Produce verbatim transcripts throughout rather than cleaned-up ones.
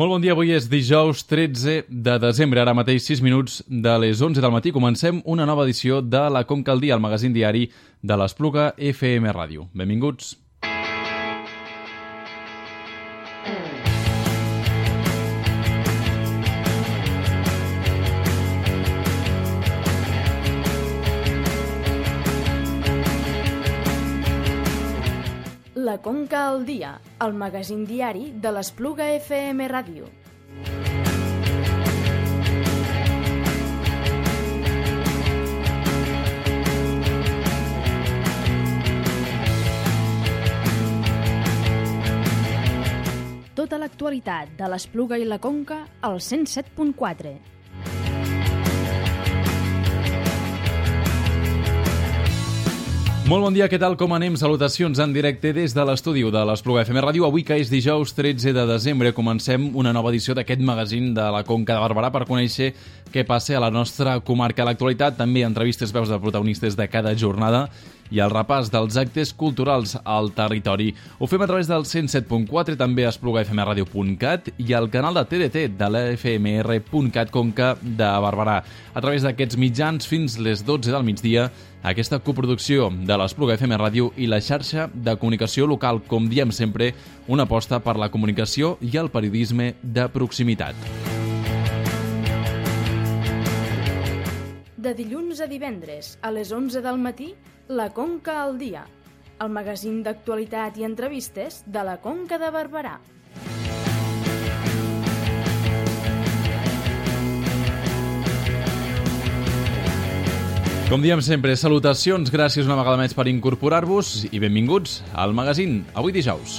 Molt bon dia, avui és dijous tretze de desembre, ara mateix sis minuts de les onze del matí. Comencem una nova edició de La Conca al Dia, el magazín diari de l'Espluga F M Ràdio. Benvinguts. La Conca al Dia, el magazín diari de l'Espluga F M Ràdio. Tota l'actualitat de l'Espluga i la Conca al cent set punt quatre. Molt bon dia, què tal, com anem? Salutacions en directe des de l'estudi de l'Espluga F M Ràdio. Avui, que és dijous tretze de desembre, comencem una nova edició d'aquest magazín de la Conca de Barberà per conèixer què passa a la nostra comarca. A l'actualitat, també entrevistes, veus de protagonistes de cada jornada i el repàs dels actes culturals al territori. Ho fem a través del cent set punt quatre, també a espluga f m radio punt cat i al canal de T D T de la f m r punt cat Conca de Barberà. A través d'aquests mitjans, fins les dotze del migdia, aquesta coproducció de l'Espluga F M Ràdio i la xarxa de comunicació local, com diem sempre, una aposta per la comunicació i el periodisme de proximitat. De dilluns a divendres, a les onze del matí, La Conca al Dia, el magazín d'actualitat i entrevistes de la Conca de Barberà. Com diem sempre, salutacions, gràcies una vegada més per incorporar-vos i benvinguts al magazín, avui dijous.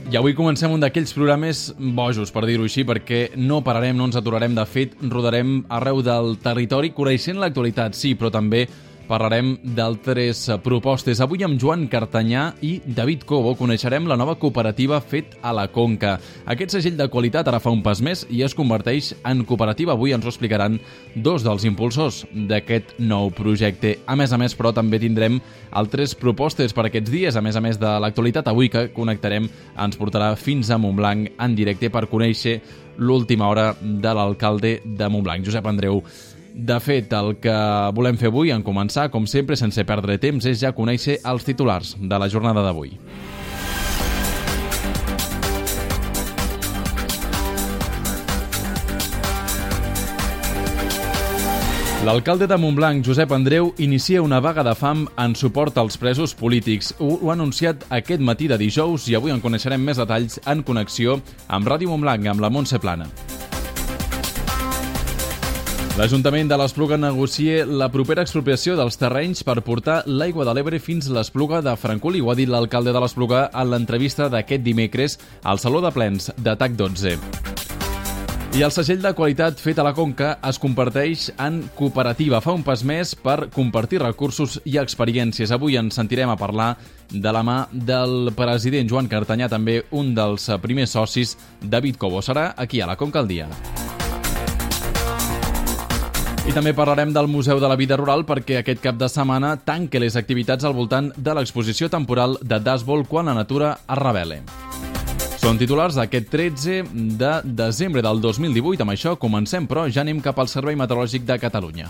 I avui comencem un d'aquells programes bojos, per dir-ho així, perquè no pararem, no ens aturarem. De fet, rodarem arreu del territori, coneixent l'actualitat, sí, però també parlarem d'altres propostes. Avui amb Joan Cartanyà i David Cobo coneixerem la nova cooperativa Fet a la Conca. Aquest segell de qualitat ara fa un pas més i es converteix en cooperativa. Avui ens ho explicaran dos dels impulsors d'aquest nou projecte. A més a més, però, també tindrem altres propostes per aquests dies. A més a més de l'actualitat, avui que connectarem ens portarà fins a Montblanc en directe per conèixer l'última hora de l'alcalde de Montblanc, Josep Andreu. De fet, el que volem fer avui, en començar, com sempre, sense perdre temps, és ja conèixer els titulars de la jornada d'avui. L'alcalde de Montblanc, Josep Andreu, inicia una vaga de fam en suport als presos polítics. Ho ha anunciat aquest matí de dijous i avui en coneixerem més detalls en connexió amb Ràdio Montblanc, amb la Montse Plana. L'Ajuntament de l'Espluga negocia la propera expropiació dels terrenys per portar l'aigua de l'Ebre fins a l'Espluga de Francolí. Ho ha dit l'alcalde de l'Espluga en l'entrevista d'aquest dimecres al Saló de Plens de T A C dotze. I el segell de qualitat Fet a la Conca es converteix en cooperativa. Fa un pas més per compartir recursos i experiències. Avui ens sentirem a parlar de la mà del president Joan Cartanyà, també un dels primers socis, David Cobo. Serà aquí a la Conca al Dia. I també parlarem del Museu de la Vida Rural perquè aquest cap de setmana tanca les activitats al voltant de l'exposició temporal de Dasbol quan la natura es revele. Són titulars d'aquest tretze de desembre del dos mil divuit. Amb això comencem, però ja anem cap al Servei Meteorològic de Catalunya.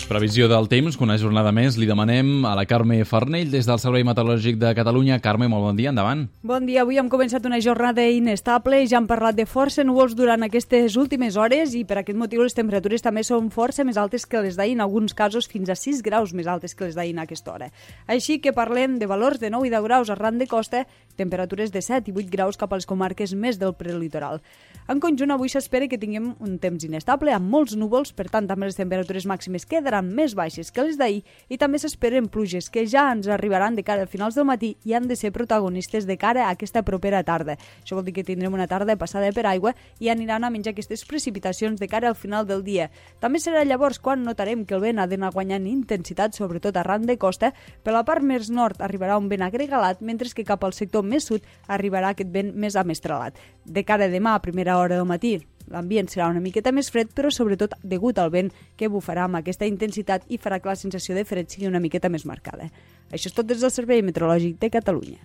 Previsió del temps, que una jornada més li demanem a la Carme Farnell des del Servei Meteorològic de Catalunya. Carme, molt bon dia, endavant. Bon dia, avui hem començat una jornada inestable, ja hem parlat de força núvols durant aquestes últimes hores i per aquest motiu les temperatures també són força més altes que les d'ahir, en alguns casos fins a sis graus més altes que les d'ahir a aquesta hora. Així que parlem de valors de nou i deu graus arran de costa, temperatures de set i vuit graus cap a les comarques més del prelitoral. En conjunt, avui s'espera que tinguem un temps inestable, amb molts núvols, per tant també les temperatures màximes quedaran seran més baixes que les d'ahir i també s'esperen pluges que ja ens arribaran de cara a finals del matí i han de ser protagonistes de cara a aquesta propera tarda. Això vol dir que tindrem una tarda passada per aigua i aniran a menjar aquestes precipitacions de cara al final del dia. També serà llavors quan notarem que el vent ha d'anar guanyant intensitat, sobretot arran de costa. Per la part més nord arribarà un vent agregalat, mentre que cap al sector més sud arribarà aquest vent més amestrelat. De cara a demà, a primera hora del matí, l'ambient serà una miqueta més fred, però sobretot degut al vent que bufarà amb aquesta intensitat i farà que la sensació de fred sigui una miqueta més marcada. Això és tot des del Servei Meteorològic de Catalunya.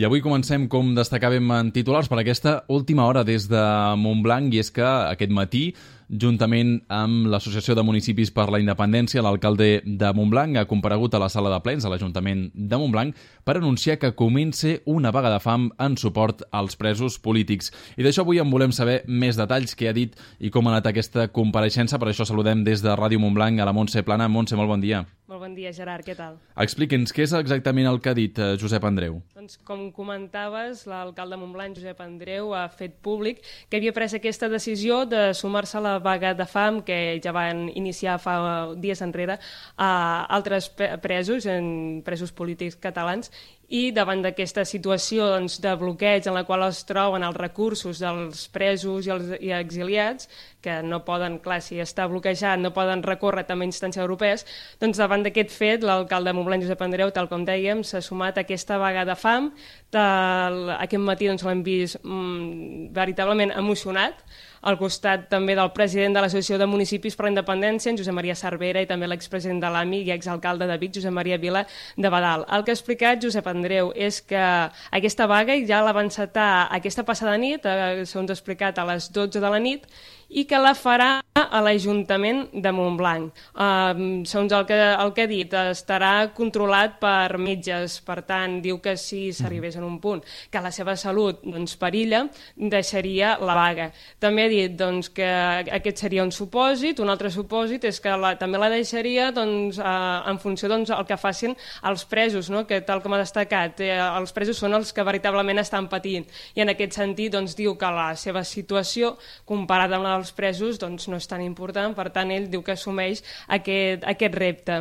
I avui comencem, com destacàvem en titulars, per aquesta última hora des de Montblanc, i és que aquest matí, juntament amb l'Associació de Municipis per la Independència, l'alcalde de Montblanc ha comparegut a la sala de plens de l'Ajuntament de Montblanc per anunciar que comença una vaga de fam en suport als presos polítics. I d'això avui en volem saber més detalls, què ha dit i com ha anat aquesta compareixença. Per això saludem des de Ràdio Montblanc a la Montse Plana. Montse, molt bon dia. Molt bon dia, Gerard, què tal? Expliqui'ns, què és exactament el que ha dit Josep Andreu? Doncs, com comentaves, l'alcalde de Montblanc, Josep Andreu, ha fet públic que havia pres aquesta decisió de sumar-se a la vaga de fam que ja van iniciar fa dies enrere a altres presos, en presos polítics catalans, i davant d'aquesta situació doncs, de bloqueig en la qual es troben els recursos dels presos i els i exiliats, que no poden, clar, si està bloquejat, no poden recórrer també a instàncies europees, doncs davant d'aquest fet, l'alcalde de Montblanc, Josep Andreu, tal com dèiem, s'ha sumat a aquesta vaga de fam. Aquest matí doncs, l'hem vist mm, veritablement emocionat, al costat també del president de l'Associació de Municipis per la Independència, en Josep Maria Cervera, i també l'expresident de l'A M I i exalcalde de Vic, Josep Maria Vila de Badal. El que ha explicat Josep Andreu és que aquesta vaga ja la va encetar aquesta passada nit, segons ha explicat, a les dotze de la nit, i que la farà a l'Ajuntament de Montblanc. Uh, segons el que, el que ha dit, estarà controlat per metges, per tant, diu que si s'arribés en un punt que la seva salut doncs, perilla, deixaria la vaga. També ha dit doncs, que aquest seria un supòsit, un altre supòsit és que la, també la deixaria doncs, uh, en funció doncs, el que facin els presos, no? Que tal com ha destacat, eh, els presos són els que veritablement estan patint, i en aquest sentit doncs, diu que la seva situació, comparada amb la dels presos, doncs, no és tan important, per tant ell diu que assumeix aquest, aquest repte.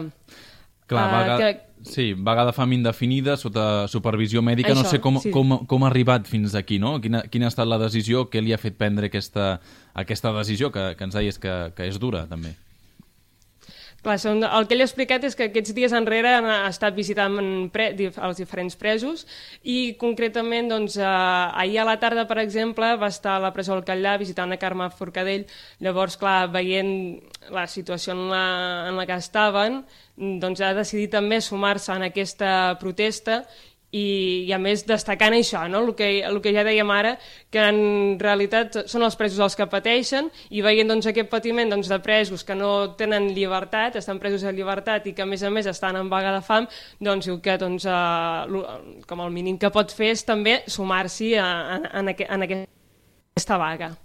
Clar, vaga, uh, que... sí, vaga de fam indefinida sota supervisió mèdica. Això, no sé com, sí. com, com ha arribat fins aquí, no? Quina, quina ha estat la decisió, què li ha fet prendre aquesta, aquesta decisió, que, que ens deies que, que és dura, també. Clar, el que ell ha explicat és que aquests dies enrere ha estat visitant pre, els diferents presos i concretament doncs, eh, ahir a la tarda, per exemple, va estar a la presó del Catllà visitant a Carme Forcadell. Llavors, clar, veient la situació en la, en la que estaven, doncs ha decidit també sumar-se en aquesta protesta i, i a més destacant això, no? el, que, el que ja dèiem ara, que en realitat són els presos els que pateixen, i veient doncs, aquest patiment doncs, de presos que no tenen llibertat, estan presos de llibertat i que a més a més estan en vaga de fam, doncs diu que doncs, eh, com el mínim que pot fer és també sumar-s'hi en, en, aqu en aquesta vaga.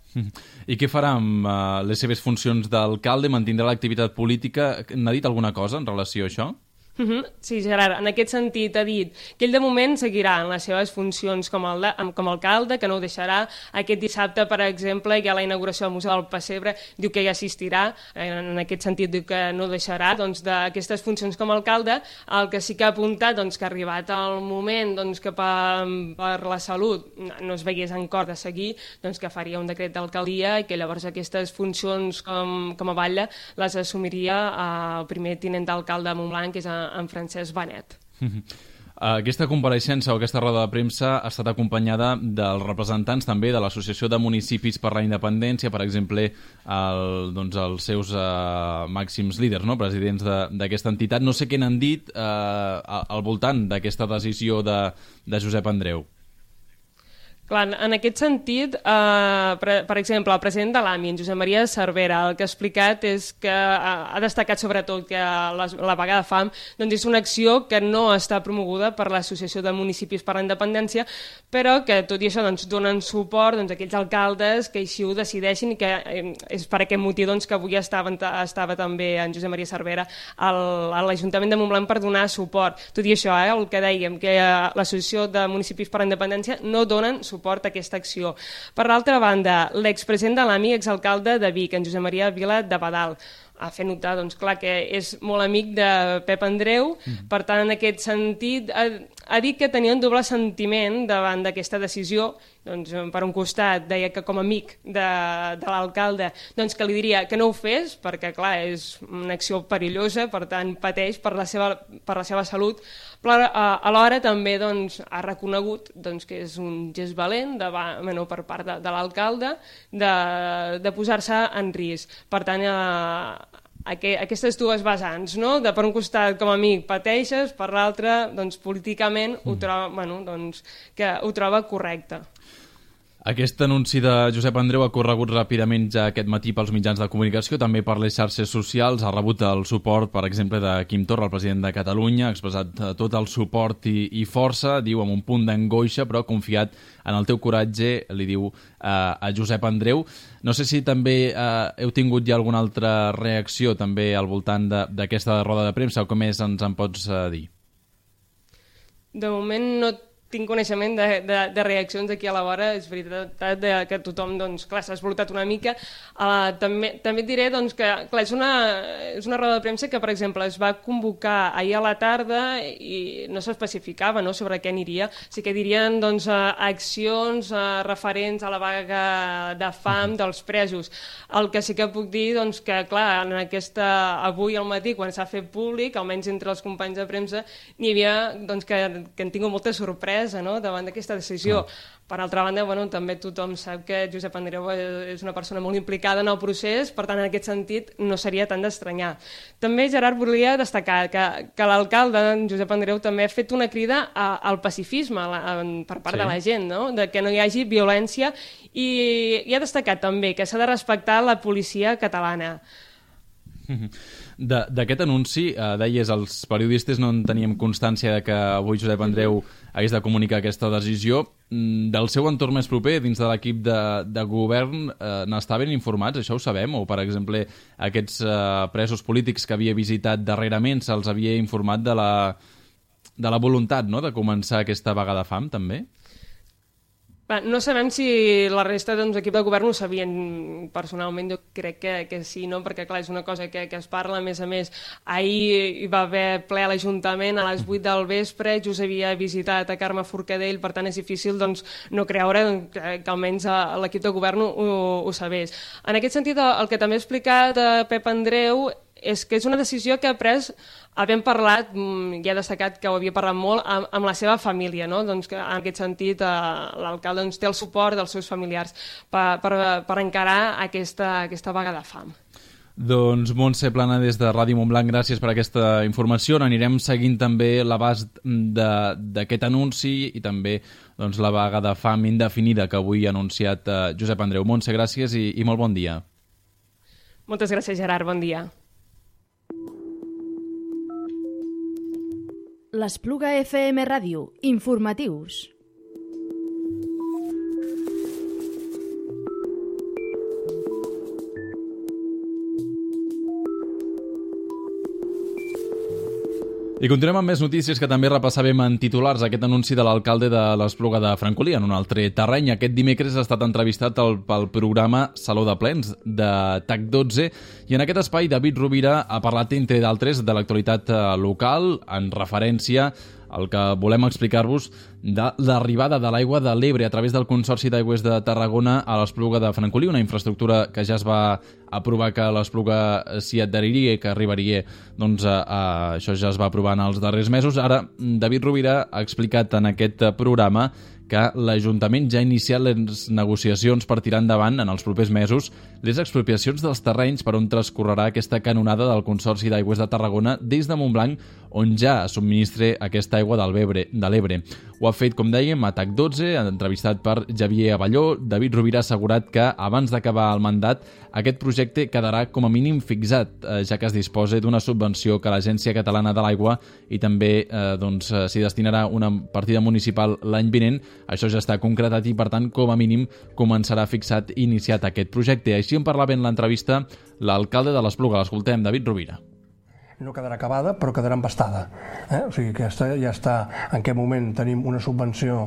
I què farà amb uh, les seves funcions d'alcalde? Mantindrà l'activitat política? N'ha dit alguna cosa en relació a això? Uh-huh. Sí, Gerard, en aquest sentit ha dit que ell de moment seguirà en les seves funcions com, el de, com a alcalde, que no ho deixarà. Aquest dissabte, per exemple, hi ha la inauguració del Museu del Pessebre, diu que hi assistirà, en aquest sentit diu que no deixarà doncs, d'aquestes funcions com a alcalde. El que sí que ha apuntat doncs, que ha arribat el moment doncs, que per, per la salut no es veiés en cor de seguir, doncs, que faria un decret d'alcaldia i que llavors aquestes funcions com, com a batlle les assumiria el primer tinent d'alcalde de Montblanc, que és en Francesc Benet. Aquesta compareixença o aquesta roda de premsa ha estat acompanyada dels representants també de l'Associació de Municipis per la Independència, per exemple, el, doncs, els seus uh, màxims líders, no? Presidents d'aquesta entitat. No sé què n'han dit uh, al voltant d'aquesta decisió de, de Josep Andreu. Clar, en aquest sentit, eh, per, per exemple, el president de l'A M I, en Josep Maria Cervera, el que ha explicat és que ha destacat sobretot que la, la vaga de fam doncs és una acció que no està promoguda per l'Associació de Municipis per la Independència, però que tot i això doncs, donen suport doncs, a aquells alcaldes que així ho decideixin i que eh, és per aquest motiu doncs, que avui estava, estava també en Josep Maria Cervera al, a l'Ajuntament de Montblanc per donar suport. Tot i això, eh, el que dèiem, que eh, l'Associació de Municipis per la Independència no donen suport suport a aquesta acció. Per l'altra banda, l'expresident de l'A M I, exalcalde de Vic, en Josep Maria Vila de Badal, ha fet notar, doncs clar, que és molt amic de Pep Andreu, mm. per tant, en aquest sentit, ha, ha dit que tenia un doble sentiment davant d'aquesta decisió. Doncs, per un costat, deia que com a amic de, de l'alcalde, doncs que li diria que no ho fes, perquè, clar, és una acció perillosa, per tant, pateix per la seva, per la seva salut, però alhora també doncs, ha reconegut doncs, que és un gest valent de, bueno, per part de, de l'alcalde de, de posar-se en risc. Per tant, eh, aquestes dues vessants, no? De per un costat com a amic pateixes, per l'altre doncs, políticament ho troba, bueno, doncs, que ho troba correcte. Aquest anunci de Josep Andreu ha corregut ràpidament ja aquest matí pels mitjans de comunicació, també per les xarxes socials, ha rebut el suport, per exemple, de Quim Torra, el president de Catalunya, ha expressat tot el suport i, i força, diu amb un punt d'angoixa, però confiat en el teu coratge, li diu eh, a Josep Andreu. No sé si també eh, heu tingut ja alguna altra reacció també al voltant d'aquesta roda de premsa, o com més ens en pots eh, dir? De moment no tinc coneixement de, de, de reaccions aquí a la vora, és veritat de, que tothom, doncs, clar, s'ha esvolutat una mica. Uh, també, també et diré doncs, que clar, és, una, és una roda de premsa que, per exemple, es va convocar ahir a la tarda i no s'especificava, no?, sobre què aniria. Sí que dirien doncs, uh, accions uh, referents a la vaga de fam dels presos. El que sí que puc dir, doncs, que clar, en aquesta, avui al matí, quan s'ha fet públic, almenys entre els companys de premsa, n'hi havia doncs, que, que han tingut molta sorpresa, no?, davant d'aquesta decisió. Ah. Per altra banda, bueno, també tothom sap que Josep Andreu és una persona molt implicada en el procés, per tant, en aquest sentit, no seria tant d'estranyar. També, Gerard, volia destacar que, que l'alcalde, Josep Andreu, també ha fet una crida a, al pacifisme a la, a, per part sí. de la gent, no?, de que no hi hagi violència, i, i ha destacat també que s'ha de respectar la policia catalana. D'aquest anunci, eh, deies, els periodistes no en teníem constància de que avui Josep Andreu hagués de comunicar aquesta decisió. Del seu entorn més proper, dins de l'equip de, de govern, eh, n'estaven informats, això ho sabem? O, per exemple, aquests eh, presos polítics que havia visitat darrerament se'ls havia informat de la, de la voluntat, no?, de començar aquesta vaga de fam, també? No sabem si la resta de l'equip de govern ho sabien personalment, jo crec que, que sí, no? Perquè clar, és una cosa que, que es parla, a més a més, ahir hi va haver ple a l'Ajuntament a les vuit del vespre, just havia visitat a Carme Forcadell, per tant és difícil doncs, no creure que, que almenys l'equip de govern ho, ho sabés. En aquest sentit, el que també ha explicat Pep Andreu és que és una decisió que ha pres, havent parlat, ja ha destacat que ho havia parlat molt, amb, amb la seva família, no? Doncs que en aquest sentit eh, l'alcalde doncs, té el suport dels seus familiars per, per, per encarar aquesta, aquesta vaga de fam. Doncs Montse Plana, des de Ràdio Montblanc, gràcies per aquesta informació. Anirem seguint també l'abast d'aquest anunci i també doncs, la vaga de fam indefinida que avui ha anunciat eh, Josep Andreu. Montse, gràcies i, i molt bon dia. Moltes gràcies, Gerard. Bon dia. L'Espluga F M Ràdio. Informatius. I continuem amb més notícies que també repassàvem en titulars. Aquest anunci de l'alcalde de l'Espluga de Francolí en un altre terreny. Aquest dimecres ha estat entrevistat pel, pel programa Saló de Plens de T A C dotze i en aquest espai David Rovira ha parlat, entre d'altres, de l'actualitat local en referència al que volem explicar-vos de l'arribada de l'aigua de l'Ebre a través del Consorci d'Aigües de Tarragona a l'Espluga de Francolí, una infraestructura que ja es va aprovar que l'Espluga s'hi adheriria i que arribaria, doncs a, a, això ja es va aprovar en els darrers mesos. Ara, David Rovira ha explicat en aquest programa que l'Ajuntament ja ha iniciat les negociacions per tirar endavant en els propers mesos les expropiacions dels terrenys per on transcorrerà aquesta canonada del Consorci d'Aigües de Tarragona des de Montblanc, on ja subministra aquesta aigua de l'Ebre. Ho ha fet, com dèiem, a TAC dotze, entrevistat per Xavier Abelló. David Rovira ha assegurat que, abans d'acabar el mandat, aquest projecte quedarà com a mínim fixat, ja que es disposa d'una subvenció que l'Agència Catalana de l'Aigua i també eh, doncs, s'hi destinarà una partida municipal l'any vinent. Això ja està concretat i, per tant, com a mínim començarà fixat i iniciat aquest projecte. Així en parlava en l'entrevista l'alcalde de l'Espluga. L'escoltem, David Rovira. No quedarà acabada, però quedarà embastada. Eh? O sigui, aquesta ja està, en aquest moment tenim una subvenció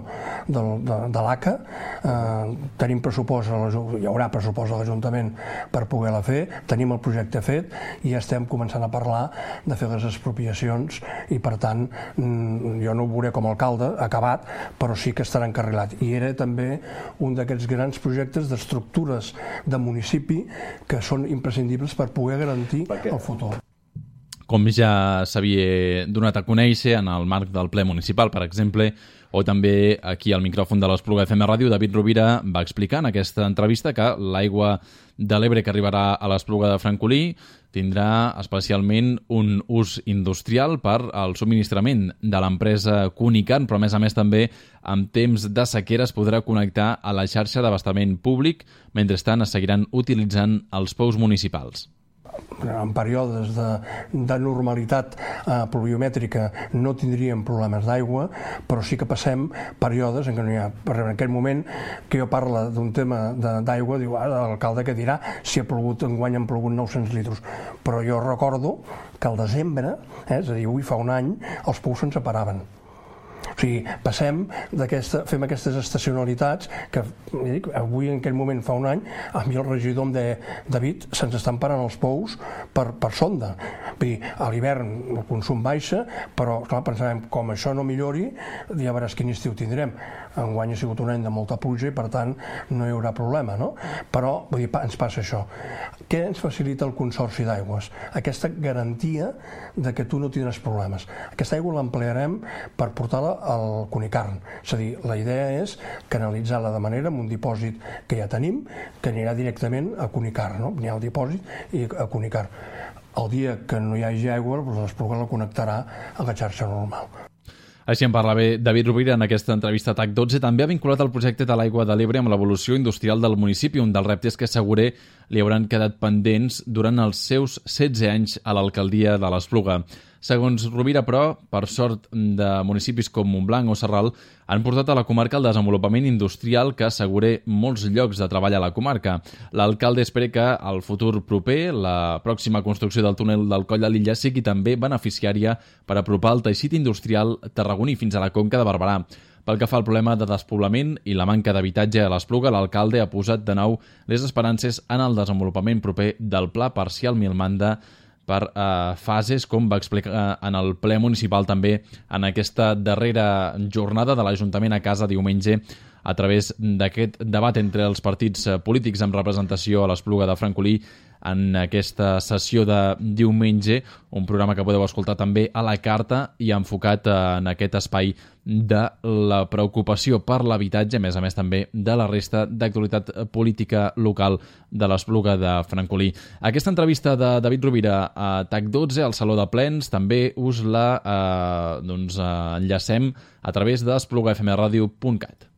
del, de, de l'A C A, eh, tenim pressupost, hi haurà pressupost a l'Ajuntament per poder-la fer, tenim el projecte fet i ja estem començant a parlar de fer les expropiacions i, per tant, jo no ho veuré com a alcalde acabat, però sí que estarà encarrilat. I era també un d'aquests grans projectes d'estructures de municipi que són imprescindibles per poder garantir el futur. Com ja s'havia donat a conèixer en el marc del ple municipal, per exemple, o també aquí al micròfon de l'Espluga F M Ràdio, David Rovira va explicar en aquesta entrevista que l'aigua de l'Ebre que arribarà a l'Espluga de Francolí tindrà especialment un ús industrial per al subministrament de l'empresa Cunicarn, però a més a més també en temps de sequera es podrà connectar a la xarxa d'abastament públic, mentrestant es seguiran utilitzant els pous municipals. En períodes de, de normalitat eh, pluviomètrica no tindríem problemes d'aigua, però sí que passem períodes en què no hi ha. En aquell moment que jo parlo d'un tema d'aigua, diu, ah, l'alcalde que dirà si ha plogut, enguany han plogut nou-cents litres. Però jo recordo que al desembre, eh, és a dir, avui fa un any, els pous se'n separaven. O sigui, passem d'aquesta, fem aquestes estacionalitats que dic, avui en aquell moment fa un any a mi el regidor em deia, David, se'ns estan parant els pous per, per sonda. Vull dir, a l'hivern el consum baixa, però clar, pensàvem, com això no millori, ja veuràs quin estiu tindrem. Enguany ha sigut un any de molta pluja i per tant no hi haurà problema, no? Però vull dir, ens passa això. Què ens facilita el Consorci d'Aigües? Aquesta garantia de que tu no tindràs problemes. Aquesta aigua l'emplearem per portar-la al Cunicarn. És a dir, la idea és canalitzar-la de manera amb un dipòsit que ja tenim, que anirà directament a Cunicarn, no? N'hi ha el dipòsit i a Cunicarn. El dia que no hi hagi aigua, l'Espluga la connectarà a la xarxa normal. Així en parlava David Rovira en aquesta entrevista a TAC dotze. També ha vinculat el projecte de l'aigua de l'Ebre amb l'evolució industrial del municipi, un dels reptes que assegurer li hauran quedat pendents durant els seus setze anys a l'alcaldia de l'Espluga. Segons Rovira, però, per sort de municipis com Montblanc o Sarral, han portat a la comarca el desenvolupament industrial que assegura molts llocs de treball a la comarca. L'alcalde espera que al futur proper la pròxima construcció del túnel del Coll de l'Illa sigui també beneficiària per apropar el teixit industrial tarragoní fins a la Conca de Barberà. Pel que fa al problema de despoblament i la manca d'habitatge a l'Espluga, l'alcalde ha posat de nou les esperances en el desenvolupament proper del Pla Parcial Milmanda per eh, fases, com va explicar en el ple municipal també en aquesta darrera jornada de l'Ajuntament a casa diumenge a través d'aquest debat entre els partits polítics amb representació a l'Espluga de Francolí en aquesta sessió de diumenge, un programa que podeu escoltar també a la carta i enfocat en aquest espai de la preocupació per l'habitatge, a més a més també de la resta d'actualitat política local de l'Espluga de Francolí. Aquesta entrevista de David Rovira a TAC dotze, al Saló de Plens, també us la eh, doncs, eh, enllacem a través de espluga f m radio punt cat.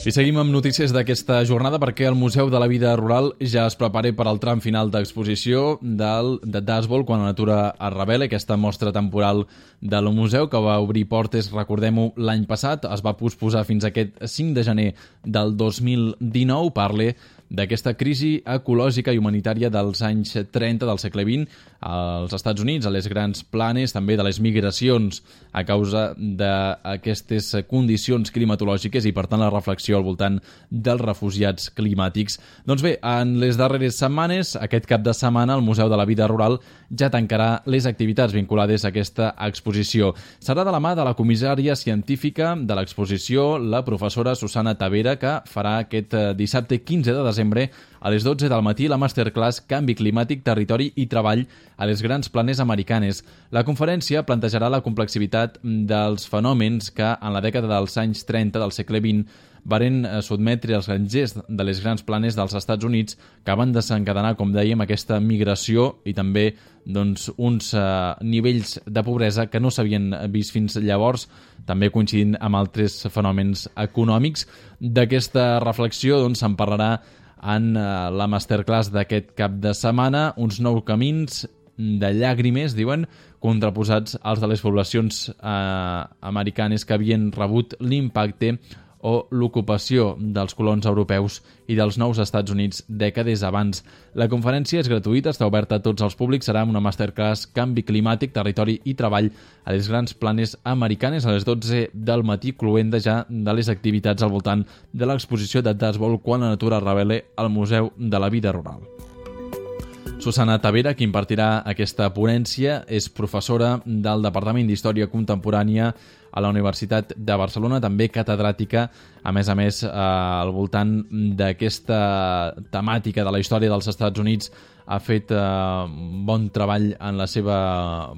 I seguim amb notícies d'aquesta jornada perquè el Museu de la Vida Rural ja es prepara per al tram final d'exposició del de Dashboard quan la natura es revela. Aquesta mostra temporal del museu que va obrir portes, recordem-ho, l'any passat, es va posposar fins aquest cinc de gener del dos mil dinou. Parle d'aquesta crisi ecològica i humanitària dels anys trenta del segle vint als Estats Units, a les grans planes, també de les migracions a causa d'aquestes condicions climatològiques i, per tant, la reflexió al voltant dels refugiats climàtics. Doncs bé, en les darreres setmanes, aquest cap de setmana, el Museu de la Vida Rural ja tancarà les activitats vinculades a aquesta exposició. Serà de la mà de la comissària científica de l'exposició, la professora Susana Tavera, que farà aquest dissabte quinze de desembre A les dotze del matí, la masterclass Canvi climàtic, territori i treball a les grans planes americanes. La conferència plantejarà la complexitat dels fenòmens que en la dècada dels anys trenta del segle vint varen sotmetre els grangers de les grans planes dels Estats Units, que van desencadenar, com dèiem, aquesta migració i també doncs, uns eh, nivells de pobresa que no s'havien vist fins llavors, també coincidint amb altres fenòmens econòmics. D'aquesta reflexió doncs, se'n parlarà en eh, la masterclass d'aquest cap de setmana, uns nous camins de llàgrimes, diuen, contraposats als de les poblacions eh, americanes que havien rebut l'impacte o l'ocupació dels colons europeus i dels nous Estats Units dècades abans. La conferència és gratuïta, està oberta a tots els públics, serà una masterclass Canvi climàtic, territori i treball a les grans planes americanes a les dotze del matí, cloent ja de les activitats al voltant de l'exposició de Dazbol Quan la natura revela al Museu de la Vida Rural. Susana Tavera, qui impartirà aquesta ponència, és professora del Departament d'Història Contemporània a la Universitat de Barcelona, també catedràtica, a més a més, eh, al voltant d'aquesta temàtica de la història dels Estats Units. Ha fet eh, bon treball en la seva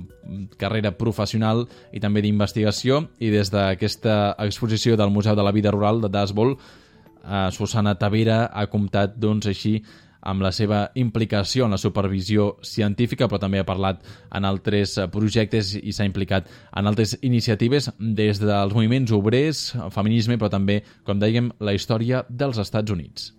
carrera professional i també d'investigació, i des d'aquesta exposició del Museu de la Vida Rural de Dazbol, eh, Susana Tavera ha comptat, doncs, així, amb la seva implicació en la supervisió científica, però també ha parlat en altres projectes i s'ha implicat en altres iniciatives des dels moviments obrers, feminisme, però també, com dèiem, la història dels Estats Units.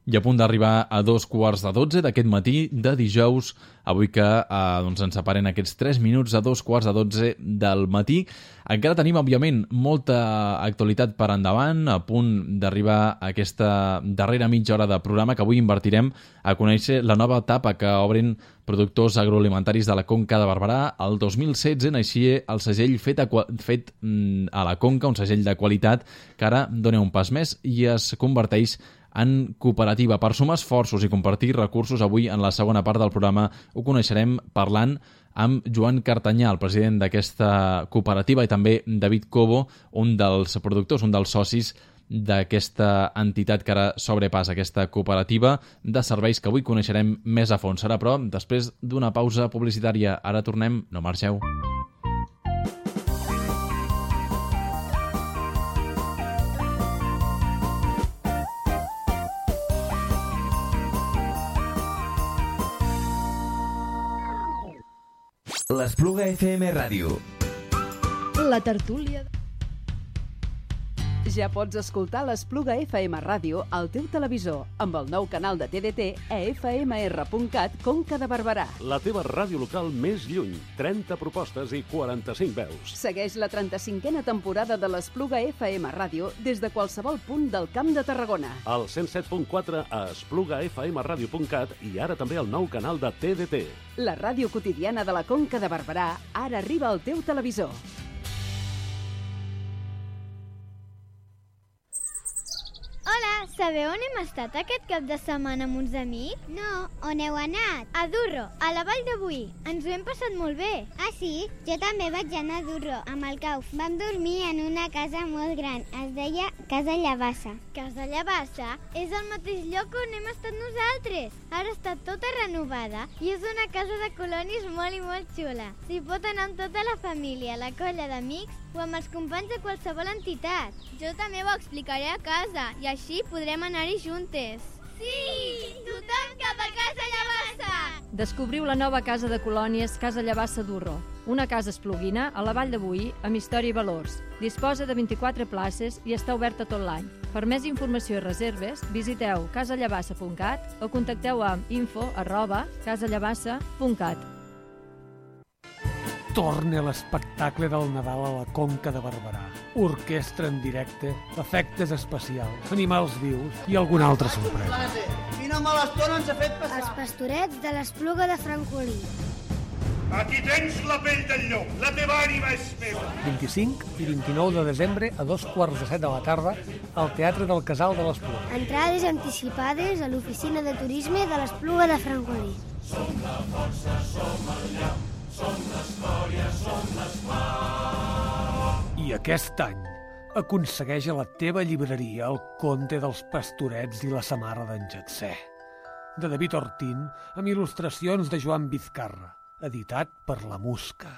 I a punt d'arribar a dos quarts de dotze d'aquest matí de dijous, avui que eh, doncs ens separen aquests tres minuts a dos quarts de dotze del matí. Encara tenim, òbviament, molta actualitat per endavant, a punt d'arribar a aquesta darrera mitja hora de programa que avui invertirem a conèixer la nova etapa que obren productors agroalimentaris de la Conca de Barberà. El dos mil setze naixia el segell fet a, fet a la Conca, un segell de qualitat que ara dona un pas més i es converteix en cooperativa. Per sumar esforços i compartir recursos, avui en la segona part del programa ho coneixerem parlant amb Joan Cartanyà, el president d'aquesta cooperativa, i també David Cobo, un dels productors, un dels socis d'aquesta entitat que ara sobrepassa, aquesta cooperativa de serveis que avui coneixerem més a fons. Serà, però, després d'una pausa publicitària. Ara tornem, no marxeu. L'Espluga F M Ràdio. La tertúlia... Ja pots escoltar l'Espluga F M Ràdio al teu televisor amb el nou canal de T D T a f m r punt cat Conca de Barberà. La teva ràdio local més lluny. trenta propostes i quaranta-cinc veus. Segueix la trenta-cinquena temporada de l'Espluga F M Ràdio des de qualsevol punt del Camp de Tarragona. Al cent set punt quatre a espluga f m ràdio punt cat i ara també el nou canal de T D T. La ràdio quotidiana de la Conca de Barberà ara arriba al teu televisor. Hola, sabeu on hem estat aquest cap de setmana amb uns amics? No, on heu anat? A Durro, a la Vall de Boí. Ens ho hem passat molt bé. Ah, sí? Jo també vaig anar a Durro, amb el Cauf. Vam dormir en una casa molt gran. Es deia Casa Llavassa. Casa Llavassa és el mateix lloc on hem estat nosaltres. Ara està tota renovada i és una casa de colonis molt i molt xula. S'hi pot anar amb tota la família, la colla d'amics o amb els companys de qualsevol entitat. Jo també ho explicaré a casa i així podrem anar-hi juntes. Sí! Tothom cap a Casa Llavassa! Descobriu la nova casa de colònies Casa Llavassa Durro, una casa espluguina a la Vall de Boí amb història i valors. Disposa de vint-i-quatre places i està oberta tot l'any. Per més informació i reserves, visiteu casa llavassa punt cat o contacteu amb info arroba casa llavassa punt cat. Torna l'espectacle del Nadal a la Conca de Barberà. Orquestra en directe, efectes especials, animals vius i alguna altra sorpresa. Quina mala estona ens ha fet passar. Els pastorets de l'Espluga de Francolí. Aquí tens la pell del llop, la teva ànima és meva. vint-i-cinc i vint-i-nou de desembre a dos quarts de set de la tarda al Teatre del Casal de l'Espluga. Entrades anticipades a l'oficina de turisme de l'Espluga de Francolí. Som la força, som el llop, som l'escòria, som l'esclar. I aquest any Aconsegueix a la teva llibreria El conte dels pastorets i la samarra d'en Jetser, de David Ortín, amb il·lustracions de Joan Vizcarra, editat per La Musca.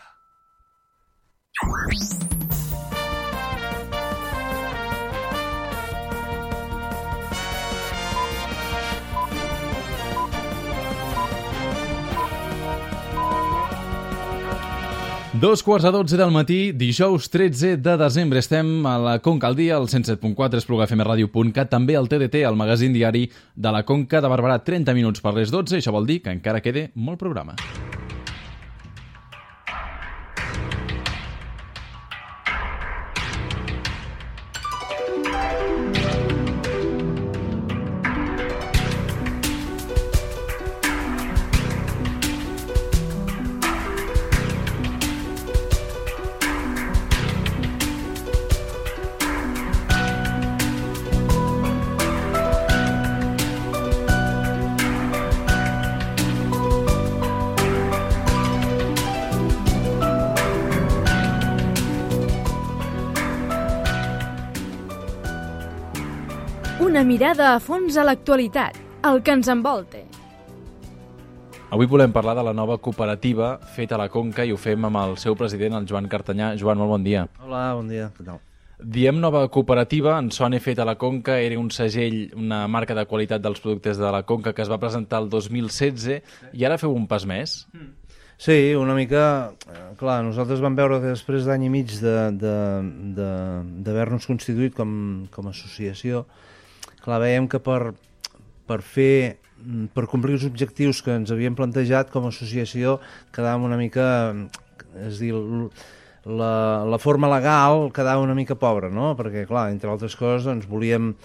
Dos quarts a dotze del matí, dijous tretze de desembre. Estem a la Conca al dia, al cent set punt quatre, espluga f m radio punt cat, també al T D T, el magazín diari de la Conca de Barberà. trenta minuts per les dotze, això vol dir que encara queda molt programa. Una mirada a fons a l'actualitat, el que ens envolta. Avui volem parlar de la nova cooperativa feta a la Conca i ho fem amb el seu president, el Joan Cartanyà. Joan, molt bon dia. Hola, bon dia. Què tal? Diem nova cooperativa, en sona feta a la Conca, era un segell, una marca de qualitat dels productes de la Conca que es va presentar el dos mil setze i ara feu un pas més. Sí, una mica... Clar, nosaltres vam veure que després d'any i mig d'haver-nos constituït com, com a associació, clar, veiem que per, per fer, per complir els objectius que ens havíem plantejat com a associació quedàvem una mica, és dir, la, la forma legal quedava una mica pobra, no? Perquè, clar, entre altres coses, doncs, volíem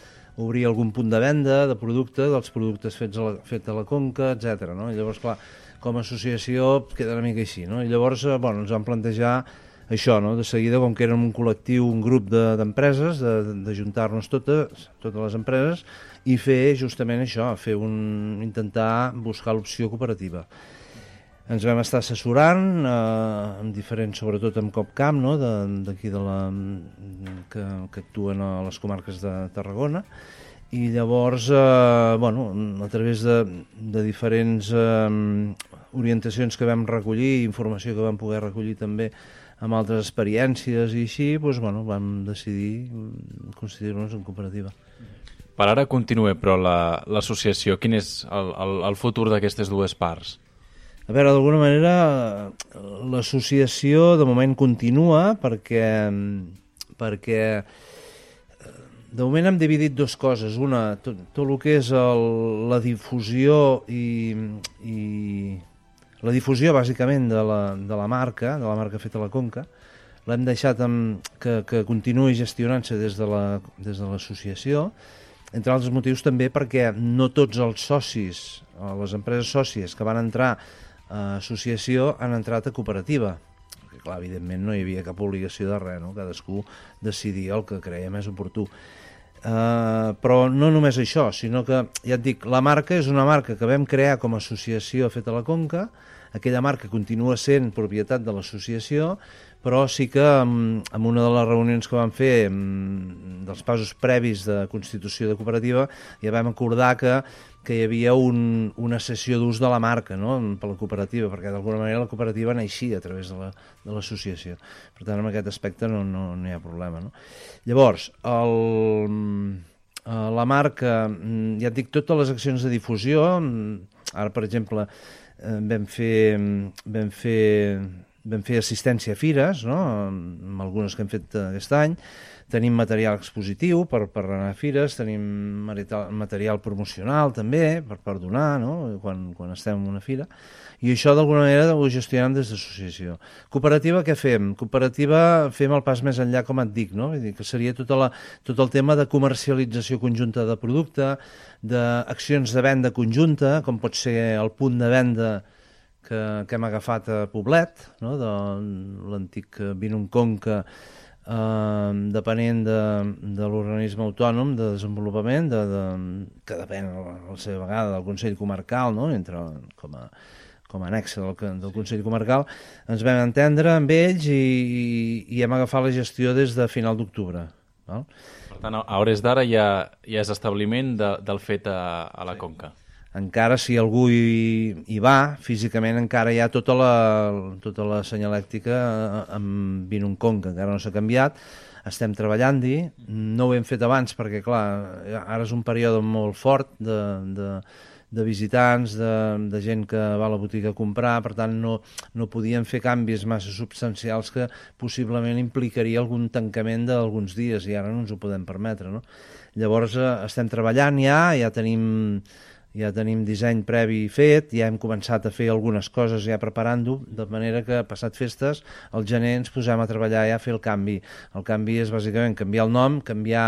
obrir algun punt de venda de producte, dels productes fets a la, fet a la Conca, etcètera, no? I llavors, clar, com a associació queda una mica així, no? I llavors, bueno, ens vam plantejar això, no? De seguida, com que érem un col·lectiu, un grup d'empreses, de, d'ajuntar-nos totes, totes les empreses, i fer justament això, fer un, intentar buscar l'opció cooperativa. Ens vam estar assessorant, eh, amb diferents, sobretot amb Copcamp, no? D'aquí de, de la, que, que actuen a les comarques de Tarragona, i llavors, eh, bueno, a través de, de diferents eh, orientacions que vam recollir, informació que vam poder recollir també, amb altres experiències i així, doncs, bueno, vam decidir constituir-nos en cooperativa. Per ara continua, però l'associació, la, quin és el, el, el futur d'aquestes dues parts? A veure, d'alguna manera, l'associació de moment continua perquè, perquè de moment hem dividit dues coses. Una, tot, tot el que és el, la difusió i... i La difusió, bàsicament, de la, de la marca, de la marca feta a la Conca, l'hem deixat amb, que, que continuï gestionant-se des de la, des de l'associació, entre altres motius també perquè no tots els socis, les empreses sòcies que van entrar a associació han entrat a cooperativa. Perquè, clar, evidentment no hi havia cap obligació de res, no? Cadascú decidia el que creia més oportú. Uh, però no només això, sinó que, ja et dic, la marca és una marca que vam crear com a associació feta a la Conca. Aquella marca continua sent propietat de l'associació, però sí que en, en una de les reunions que vam fer en, dels passos previs de constitució de cooperativa ja vam acordar que, que hi havia un, una cessió d'ús de la marca, no? Per la cooperativa, perquè d'alguna manera la cooperativa naixia a través de l'associació. La, per tant, en aquest aspecte no, no, no hi ha problema, no? Llavors, el, la marca, ja et dic, totes les accions de difusió, ara, per exemple, vam fer, vam fer, vam fer assistència a fires, no? Amb algunes que hem fet aquest any. Tenim material expositiu per, per anar a fires, tenim material promocional també per, per donar, no? quan, quan estem en una fira. I això d'alguna manera ho gestionem des d'associació. Cooperativa, què fem? Cooperativa fem el pas més enllà, com et dic, no? Vull dir que seria tota la, tot el tema de comercialització conjunta de producte, d'accions de venda conjunta, com pot ser el punt de venda que, que hem agafat a Poblet, no? De l'antic Vinum Conca, eh, depenent de, de l'organisme autònom de desenvolupament, de, de, que depèn a la seva vegada del Consell Comarcal, no? Entre, com a com a anexa del, del Consell Comarcal, ens vam entendre amb ells i, i, i hem agafat la gestió des de final d'octubre. Val? Per tant, a hores d'ara ja, ja és establiment de, del fet a, a la Conca. Encara si algú hi, hi va, físicament encara hi ha tota la, tota la senyalèctica amb Vinum Conca, encara no s'ha canviat, estem treballant-hi, no ho hem fet abans perquè, clar, ara és un període molt fort de, de, de visitants, de, de gent que va a la botiga a comprar, per tant no, no podíem fer canvis massa substancials que possiblement implicaria algun tancament d'alguns dies i ara no ens ho podem permetre, no? Llavors eh, estem treballant ja, ja tenim... Ja tenim disseny previ fet, ja hem començat a fer algunes coses ja preparant-ho, de manera que passat festes, al gener ens posem a treballar ja a fer el canvi. El canvi és bàsicament canviar el nom, canviar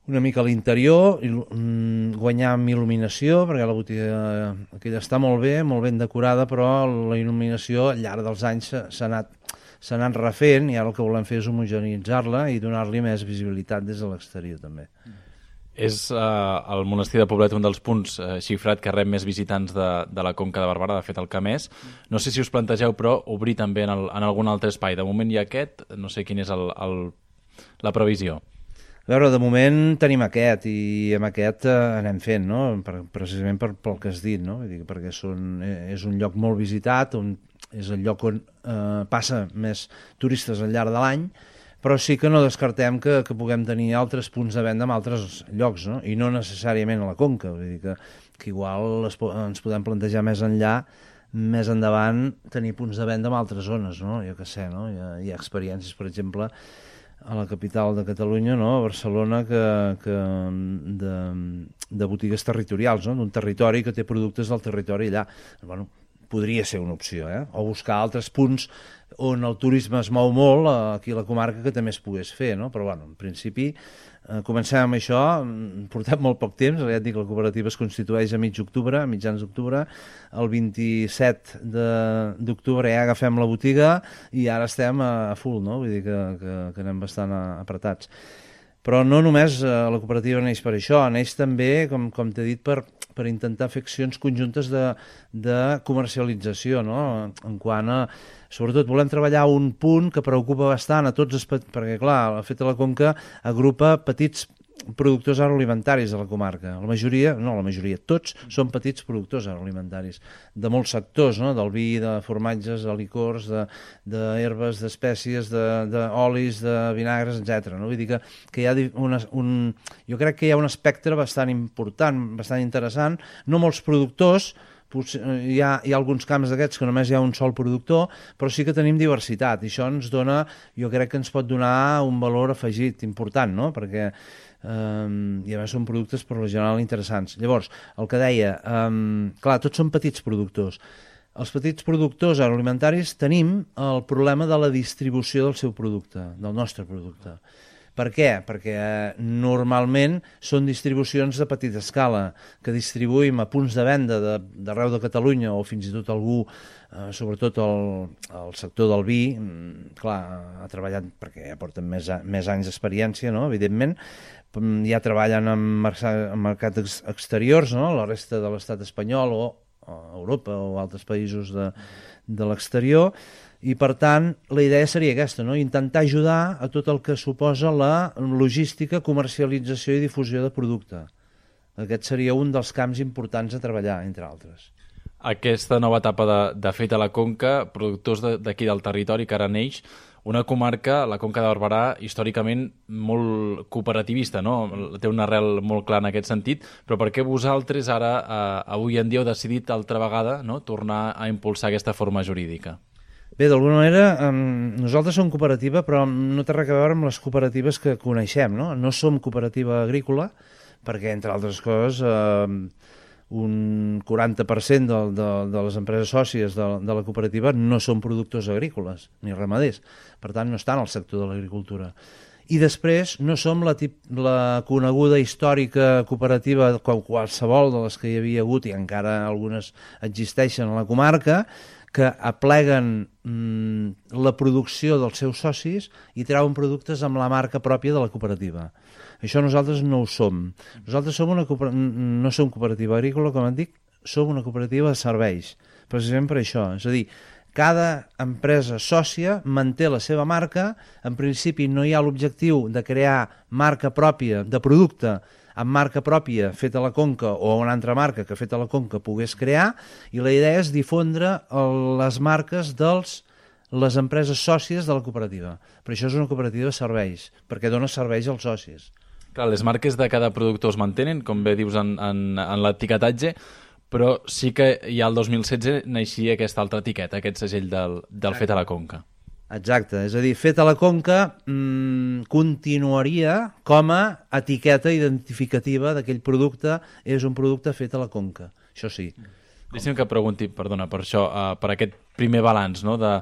una mica l'interior, guanyar amb il·luminació, perquè la botiga aquella està molt bé, molt ben decorada, però la il·luminació al llarg dels anys s'ha anat, s'ha anat refent i ara el que volem fer és homogeneitzar-la i donar-li més visibilitat des de l'exterior també. És eh, el monestir de Poblet un dels punts eh, xifrat que rep més visitants de, de la Conca de Barberà, de fet el que més. No sé si us plantegeu, però, obrir també en, el, en algun altre espai. De moment hi ha aquest, no sé quin és el, el, la previsió. A veure, de moment tenim aquest i amb aquest eh, anem fent, no? Per, precisament per, pel que has dit, no? Vull dir, perquè són, és un lloc molt visitat, on, és el lloc on eh, passa més turistes al llarg de l'any, però sí que no descartem que, que puguem tenir altres punts de venda en altres llocs, no? I no necessàriament a la Conca, vull dir que, que igual es, ens podem plantejar més enllà, més endavant, tenir punts de venda en altres zones, no? Jo què sé, no? Hi ha, hi ha experiències, per exemple, a la capital de Catalunya, no? A Barcelona, que, que de, de botigues territorials, no? D'un territori que té productes del territori allà. Bueno, podria ser una opció, eh? O buscar altres punts on el turisme es mou molt, aquí a la comarca, que també es pogués fer, no? Però, bueno, en principi, eh, comencem amb això, portem molt poc temps, ja et dic, la cooperativa es constitueix a mig octubre, a mitjans d'octubre, el vint-i-set d'octubre ja agafem la botiga i ara estem a, a full, no? Vull dir que, que, que anem bastant apretats. Però no només eh, la cooperativa neix per això, neix també, com, com t'he dit, per, per intentar fer accions conjuntes de, de comercialització, no? En quant a... Sobretot volem treballar un punt que preocupa bastant a tots, els, perquè clar, el fet de la Conca agrupa petits productors agroalimentaris de la comarca. La majoria, no la majoria, tots són petits productors agroalimentaris, de molts sectors, no? Del vi, de formatges, de licors, d'herbes, de, d'espècies, d'olis, de, de vinagres, etcètera. No? Vull dir que, que hi ha una, un, jo crec que hi ha un espectre bastant important, bastant interessant, no molts productors. Hi ha, hi ha alguns camps d'aquests que només hi ha un sol productor, però sí que tenim diversitat i això ens dona, jo crec que ens pot donar un valor afegit important, no? Perquè eh, i a més són productes per lo general interessants. Llavors, el que deia, eh, clar, tots són petits productors. Els petits productors agroalimentaris tenim el problema de la distribució del seu producte, del nostre producte. Per què? Perquè eh, normalment són distribucions de petita escala, que distribuïm a punts de venda d'arreu de, de Catalunya o fins i tot algú, eh, sobretot el, el sector del vi, clar, ha treballat perquè ja porten més, més anys d'experiència, no? Evidentment, ja treballen en, en mercats exteriors, no? La resta de l'estat espanyol o a Europa o altres països de, de l'exterior, i per tant la idea seria aquesta, no? Intentar ajudar a tot el que suposa la logística, comercialització i difusió de producte. Aquest seria un dels camps importants a treballar, entre altres. Aquesta nova etapa de, de fet a la Conca, productors d'aquí de, del territori que ara neix, una comarca, la Conca de Barberà, històricament molt cooperativista, no? Té una arrel molt clara en aquest sentit, però per què vosaltres ara, eh, avui en dia, heu decidit altra vegada, no?, tornar a impulsar aquesta forma jurídica? Bé, d'alguna manera, eh, nosaltres som cooperativa, però no té res a veure amb les cooperatives que coneixem, no? No som cooperativa agrícola, perquè, entre altres coses, eh, un quaranta per cent de, de, de les empreses sòcies de, de la cooperativa no són productors agrícoles, ni ramaders. Per tant, no estan al sector de l'agricultura. I després no som la, tip, la coneguda històrica cooperativa, qualsevol de les que hi havia hagut, i encara algunes existeixen a la comarca, que apleguen mm, la producció dels seus socis i treuen productes amb la marca pròpia de la cooperativa. Això nosaltres no ho som. Nosaltres som una no som cooperativa agrícola, com et dic, som una cooperativa de serveis, precisament per això. És a dir, cada empresa sòcia manté la seva marca. En principi no hi ha l'objectiu de crear marca pròpia de producte amb marca pròpia feta a la Conca o una altra marca que feta a la Conca pogués crear, i la idea és difondre les marques dels les empreses sòcies de la cooperativa. Per això és una cooperativa de serveis, perquè dona serveis als socis. Clar, les marques de cada productor es mantenen, com bé dius en, en, en l'etiquetatge, però sí que ja el dos mil setze naixia aquesta altra etiqueta, aquest segell del, del fet a la Conca. Exacte, és a dir, fet a la Conca mmm, continuaria com a etiqueta identificativa d'aquell producte, és un producte fet a la Conca, això sí. Deixa'm que pregunti, perdona, per això, uh, per aquest primer balanç, no?, de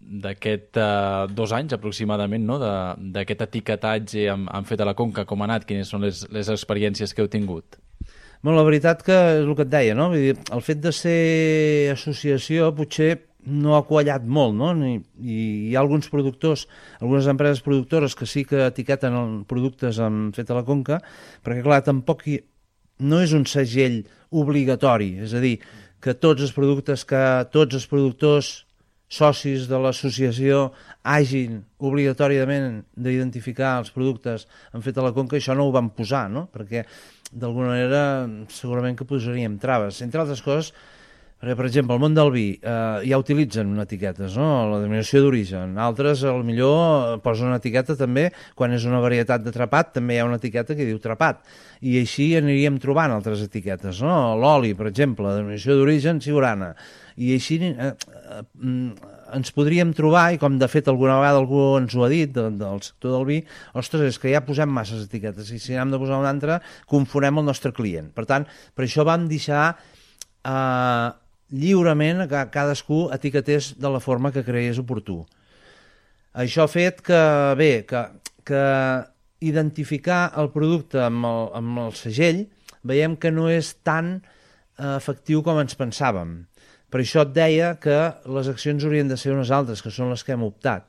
d'aquest uh, dos anys aproximadament, no?, d'aquest etiquetatge amb, amb fet a la Conca, com ha anat, quines són les, les experiències que heu tingut? Bueno, la veritat que és el que et deia, no? Vull dir, el fet de ser associació potser no ha quallat molt, no? I, i hi ha alguns productors, algunes empreses productores que sí que etiqueten productes amb fet a la Conca, perquè clar, tampoc hi, no és un segell obligatori, és a dir, que tots els productes, que tots els productors socis de l'associació hagin obligatòriament d'identificar els productes amb fet a la Conca, això no ho van posar, no? Perquè d'alguna manera segurament que posaríem traves. Entre altres coses, perquè, per exemple, el món del vi eh, ja utilitzen etiquetes, no? La denominació d'origen. Altres, potser posen una etiqueta també, quan és una varietat de trapat, també hi ha una etiqueta que diu trapat. I així aniríem trobant altres etiquetes, no? L'oli, per exemple, la denominació d'origen siurana. I així eh, eh, ens podríem trobar, i com de fet alguna vegada algú ens ho ha dit de, del sector del vi, ostres, és que ja posem masses etiquetes, i si n'hem de posar una altra, confonem el nostre client. Per tant, per això vam deixar eh, lliurement que cadascú etiquetés de la forma que cregués oportú. Això ha fet que, bé, que, que identificar el producte amb el, amb el segell veiem que no és tan eh, efectiu com ens pensàvem. Per això et deia que les accions haurien de ser unes altres, que són les que hem optat.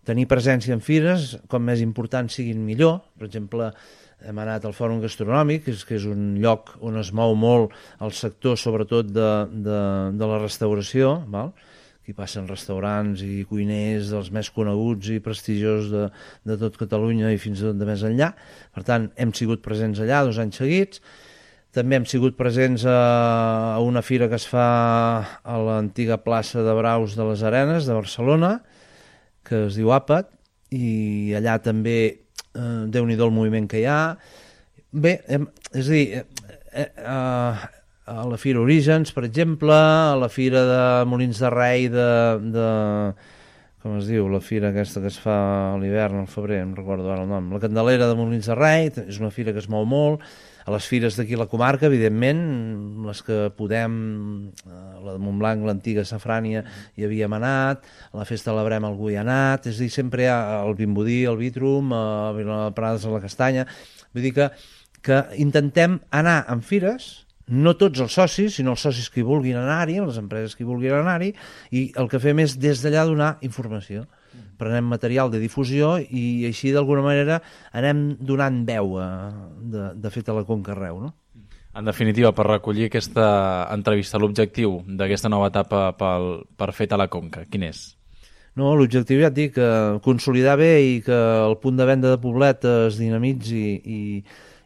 Tenir presència en fires, com més importants siguin millor. Per exemple, hem anat al Fòrum Gastronòmic, que és, que és un lloc on es mou molt el sector, sobretot de, de, de la restauració, val? Aquí passen restaurants i cuiners dels més coneguts i prestigiosos de, de tot Catalunya i fins i tot de més enllà. Per tant, hem sigut presents allà dos anys seguits. També hem sigut presents a una fira que es fa a l'antiga plaça de Braus de les Arenes de Barcelona, que es diu Àpat, i allà també eh, déu-n'hi-do el moviment que hi ha. Bé, hem, és a dir, eh, eh, a la Fira Orígens, per exemple, a la Fira de Molins de Rei de, de com es diu, la fira aquesta que es fa a l'hivern, al febrer, no recordo ara el nom, la Candelera de Molins de Rei, és una fira que es mou molt. A les fires d'aquí a la comarca, evidentment, les que podem, la de Montblanc, l'antiga Safrània, hi havíem anat, a la Festa de la Brema algú hi ha anat, és a dir, sempre hi ha el Vimbodí, el Vitrum, a Vilaprades a la Castanya, vull dir que, que intentem anar en fires, no tots els socis, sinó els socis que hi vulguin anar-hi, les empreses que hi vulguin anar-hi, i el que fem és des d'allà donar informació. Prenem material de difusió i així d'alguna manera anem donant veu a, de, de fet a la Conca arreu, no? En definitiva, per recollir aquesta entrevista, l'objectiu d'aquesta nova etapa pel, per fet a la Conca, quin és? No, l'objectiu ja et dic, consolidar bé i que el punt de venda de Poblet es dinamitzi i,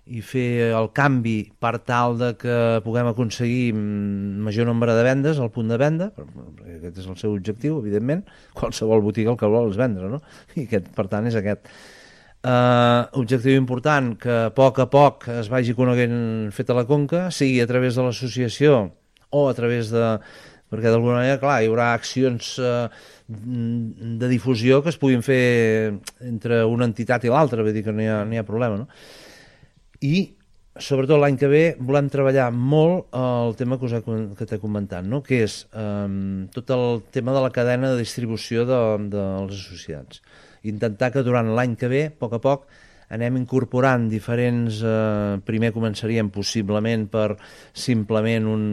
i fer el canvi per tal de que puguem aconseguir major nombre de vendes al punt de venda, perquè aquest és el seu objectiu, evidentment, qualsevol botiga el que vol és vendre, no? I aquest, per tant, és aquest. Uh, objectiu important, que a poc a poc es vagi coneguent fet a la Conca, sigui a través de l'associació o a través de... perquè d'alguna manera, clar, hi haurà accions uh, de difusió que es puguin fer entre una entitat i l'altra, vull dir que no hi ha, no hi ha problema, no? I, sobretot l'any que ve, volem treballar molt el tema que, us he, que t'he comentat, no? Que és um, tot el tema de la cadena de distribució de, de dels associats. Intentar que durant l'any que ve, a poc a poc, anem incorporant diferents... Eh, primer començaríem possiblement per simplement un,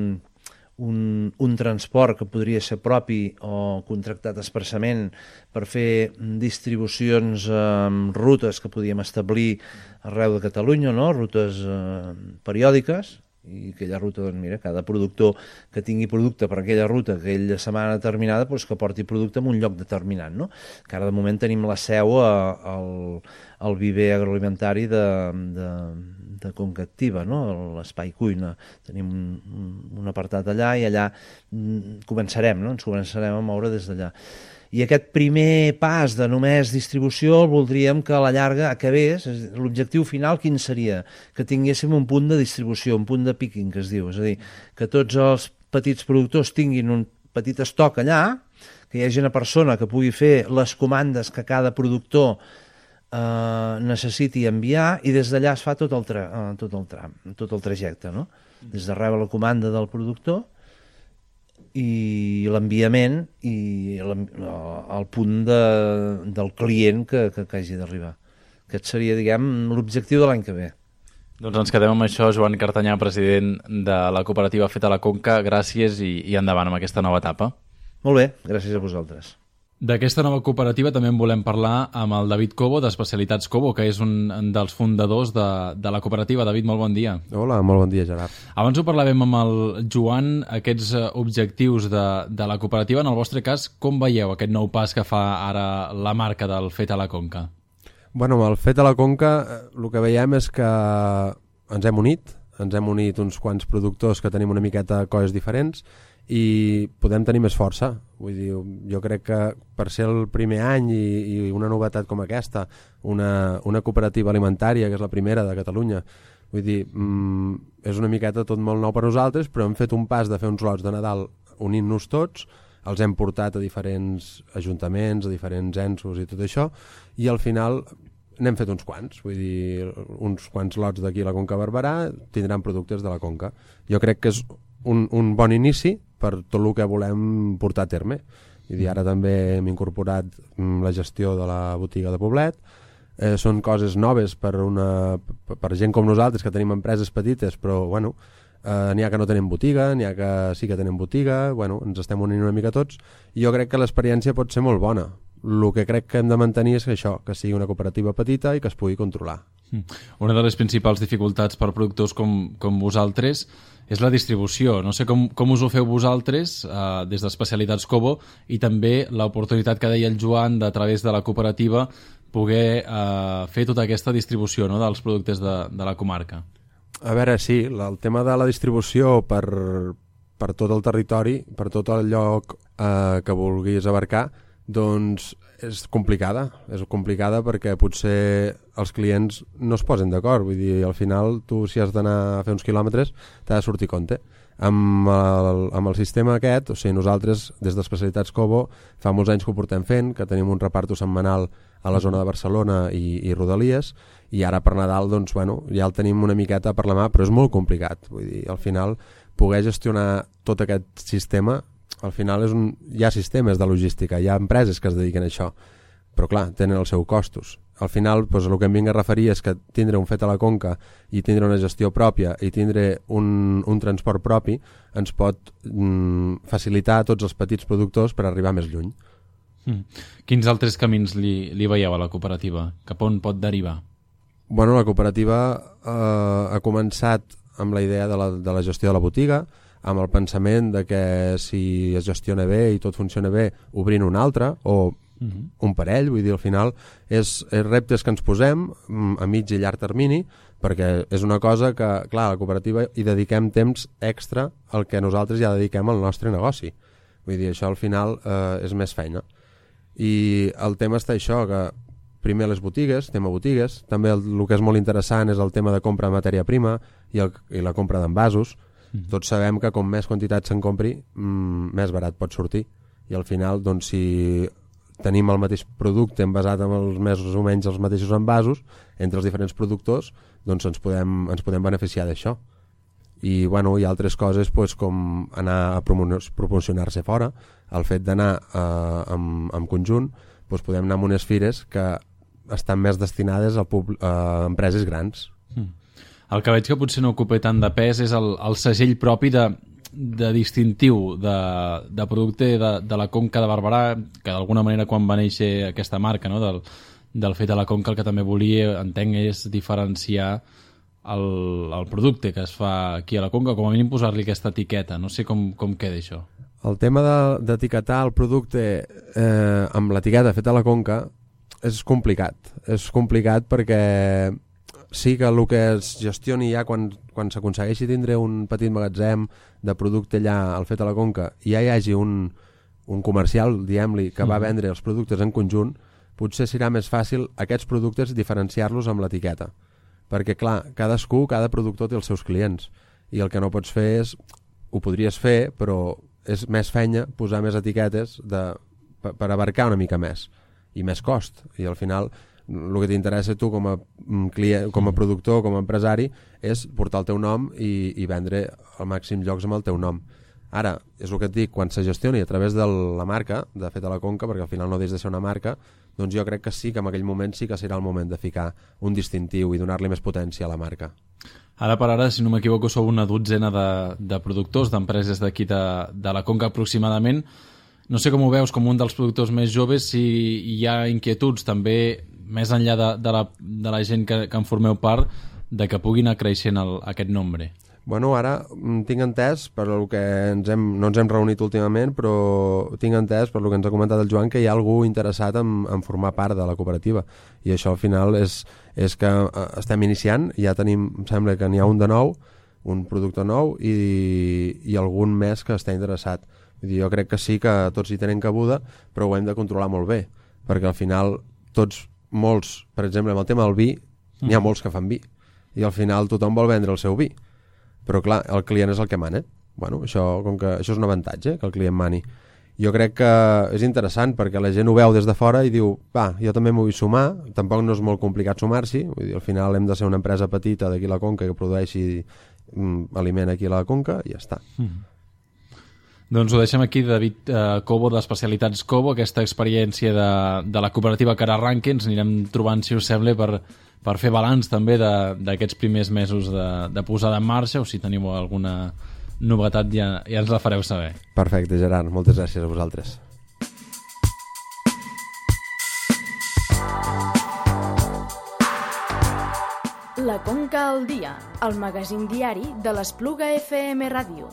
un, un transport que podria ser propi o contractat expressament per fer distribucions amb eh, rutes que podíem establir arreu de Catalunya, no? Rutes eh, periòdiques, i aquella ruta, doncs mira, cada productor que tingui producte per aquella ruta, aquella setmana determinada, doncs que porti producte en un lloc determinat, no? Que ara de moment tenim la seu a, al, al viver agroalimentari de, de, de Conca Activa, no? L'espai cuina. Tenim un, un apartat allà i allà començarem, no? Ens començarem a moure des d'allà. I aquest primer pas de només distribució el voldríem que a la llarga acabés. L'objectiu final quin seria? Que tinguéssim un punt de distribució, un punt de picking, que es diu. És a dir, que tots els petits productors tinguin un petit estoc allà, que hi hagi una persona que pugui fer les comandes que cada productor eh, necessiti enviar, i des d'allà es fa tot el, tra eh, tot el tram, tot el trajecte, no? Des de rebre la comanda del productor i l'enviament i el punt de, del client que, que, que hagi d'arribar. Aquest seria, diguem, l'objectiu de l'any que ve. Doncs ens quedem amb això. Joan Cartanyà, president de la cooperativa Fet a la Conca, gràcies i, i endavant amb aquesta nova etapa. Molt bé, gràcies a vosaltres. D'aquesta nova cooperativa també en volem parlar amb el David Cobo, d'Especialitats Cobo, que és un dels fundadors de, de la cooperativa. David, molt bon dia. Hola, molt bon dia, Gerard. Abans ho parlàvem amb el Joan, aquests objectius de, de la cooperativa. En el vostre cas, com veieu aquest nou pas que fa ara la marca del Fet a la Conca? Bueno, amb el Fet a la Conca el que veiem és que ens hem unit, ens hem unit uns quants productors que tenim una miqueta coses diferents i podem tenir més força. Vull dir, jo crec que per ser el primer any i, i una novetat com aquesta, una, una cooperativa alimentària, que és la primera de Catalunya, vull dir, mm, és una miqueta tot molt nou per nosaltres, però hem fet un pas de fer uns lots de Nadal unint-nos tots, els hem portat a diferents ajuntaments, a diferents ensos i tot això, i al final n'hem fet uns quants, vull dir, uns quants lots d'aquí a la Conca Barberà tindran productes de la Conca. Jo crec que és un, un bon inici per tot el que volem portar a terme. I dir, ara també hem incorporat la gestió de la botiga de Poblet. Eh, són coses noves per, una, per gent com nosaltres, que tenim empreses petites, però bueno, eh, n'hi ha que no tenen botiga, n'hi ha que sí que tenen botiga, bueno, ens estem unint una mica tots, i jo crec que l'experiència pot ser molt bona. El que crec que hem de mantenir és que això, que sigui una cooperativa petita i que es pugui controlar. Una de les principals dificultats per productors com, com vosaltres és la distribució. No sé com, com us ho feu vosaltres eh, des d'Especialitats Cobo, i també l'oportunitat que deia el Joan de, a través de la cooperativa, poder eh, fer tota aquesta distribució, no?, dels productes de, de la comarca. A veure, sí, el tema de la distribució per, per tot el territori, per tot el lloc eh, que vulguis abarcar, doncs és complicada, és complicada perquè potser els clients no es posen d'acord, vull dir, al final tu si has d'anar a fer uns quilòmetres t'ha de sortir compte. Amb el, amb el sistema aquest, o sigui, nosaltres des d'Especialitats Cobo fa molts anys que ho portem fent, que tenim un reparto setmanal a la zona de Barcelona i, i Rodalies, i ara per Nadal doncs, bueno, ja el tenim una miqueta per la mà, però és molt complicat, vull dir, al final poder gestionar tot aquest sistema, al final és un, hi ha sistemes de logística, hi ha empreses que es dediquen a això, però clar, tenen els seus costos. Al final, doncs, el que em vinc a referir és que tindre un Fet a la Conca i tindre una gestió pròpia i tindre un, un transport propi ens pot mm, facilitar a tots els petits productors per arribar més lluny. Mm. Quins altres camins li, li veieu a la cooperativa? Cap on pot derivar? Bueno, la cooperativa eh, ha començat amb la idea de la, de la gestió de la botiga, amb el pensament de que si es gestiona bé i tot funciona bé, obrint un altre o uh-huh. un parell, vull dir, al final és, és reptes que ens posem a mig i llarg termini, perquè és una cosa que, clar, a la cooperativa hi dediquem temps extra al que nosaltres ja dediquem al nostre negoci. Vull dir, això al final eh, és més feina. I el tema està això, que primer les botigues, tema botigues, també el, el que és molt interessant és el tema de compra de matèria prima i, el, i la compra d'envasos. Mm. Tots sabem que com més quantitat se'n compri, mm, més barat pot sortir. I al final, doncs, si tenim el mateix producte envasat amb els més o menys els mateixos envasos entre els diferents productors, doncs ens podem, ens podem beneficiar d'això. I bueno, hi ha altres coses, doncs, com anar a promocionar-se fora, el fet d'anar eh, en, en conjunt, doncs podem anar a unes fires que estan més destinades a, pub- a empreses grans. Mm. El que veig que potser no ocupa tant de pes és el, el segell propi de, de distintiu de, de producte de, de la Conca de Barberà, que d'alguna manera quan va néixer aquesta marca, no?, del, del Fet a la Conca, el que també volia, entenc, és diferenciar el, el producte que es fa aquí a la Conca, com a mínim posar-li aquesta etiqueta. No sé com, com queda això. El tema d'etiquetar el producte eh, amb l'etiqueta feta a la Conca és complicat. És complicat perquè sí que el que es gestioni ja quan, quan s'aconsegueixi tindre un petit magatzem de producte allà al fet a la Conca i ja hi hagi un, un comercial, diguem-li, que va vendre els productes en conjunt, potser serà més fàcil aquests productes diferenciar-los amb l'etiqueta. Perquè, clar, cadascú, cada productor té els seus clients i el que no pots fer és, ho podries fer, però és més fenya posar més etiquetes de, per, per abarcar una mica més i més cost. I al final el que t'interessa tu com a, client, com a productor, com a empresari, és portar el teu nom i, i vendre al màxim llocs amb el teu nom. Ara, és el que et dic, quan se gestioni a través de la marca, de fet a la Conca, perquè al final no deixa de ser una marca, doncs jo crec que sí que en aquell moment sí que serà el moment de ficar un distintiu i donar-li més potència a la marca. Ara per ara, si no m'equivoco, sou una dotzena de, de productors, d'empreses d'aquí de, de la Conca aproximadament. No sé com ho veus com un dels productors més joves, si hi ha inquietuds també, més enllà de, de, la, de la gent que, que en formeu part, de que pugui anar creixent el, aquest nombre. Bueno, ara tinc entès, per el que ens hem, no ens hem reunit últimament, però tinc entès, per el que ens ha comentat el Joan, que hi ha algú interessat en, en formar part de la cooperativa. I això al final és, és que estem iniciant, ja tenim, em sembla que n'hi ha un de nou, un producte nou, i, i algun més que està interessat. Vull dir, jo crec que sí que tots hi tenen cabuda, però ho hem de controlar molt bé, perquè al final tots, molts, per exemple, amb el tema del vi, mm. n'hi ha molts que fan vi, i al final tothom vol vendre el seu vi. Però clar, el client és el que mana. Bueno, això, com que, això és un avantatge, que el client mani. Jo crec que és interessant perquè la gent ho veu des de fora i diu, va, jo també m'ho vull sumar, tampoc no és molt complicat sumar-s'hi, vull dir, al final hem de ser una empresa petita d'aquí a la Conca que produeixi mm, aliment aquí a la Conca i ja està. Mm. Doncs ho deixem aquí, David eh, Cobo, d'Especialitats Cobo, aquesta experiència de, de la cooperativa que ara arranqui, ens anirem trobant, si us sembla, per, per fer balanç també d'aquests primers mesos de, de posada en marxa, o si teniu alguna novetat ja, ja ens la fareu saber. Perfecte, Gerard, moltes gràcies a vosaltres. La Conca al dia, el magazín diari de l'Espluga F M Ràdio.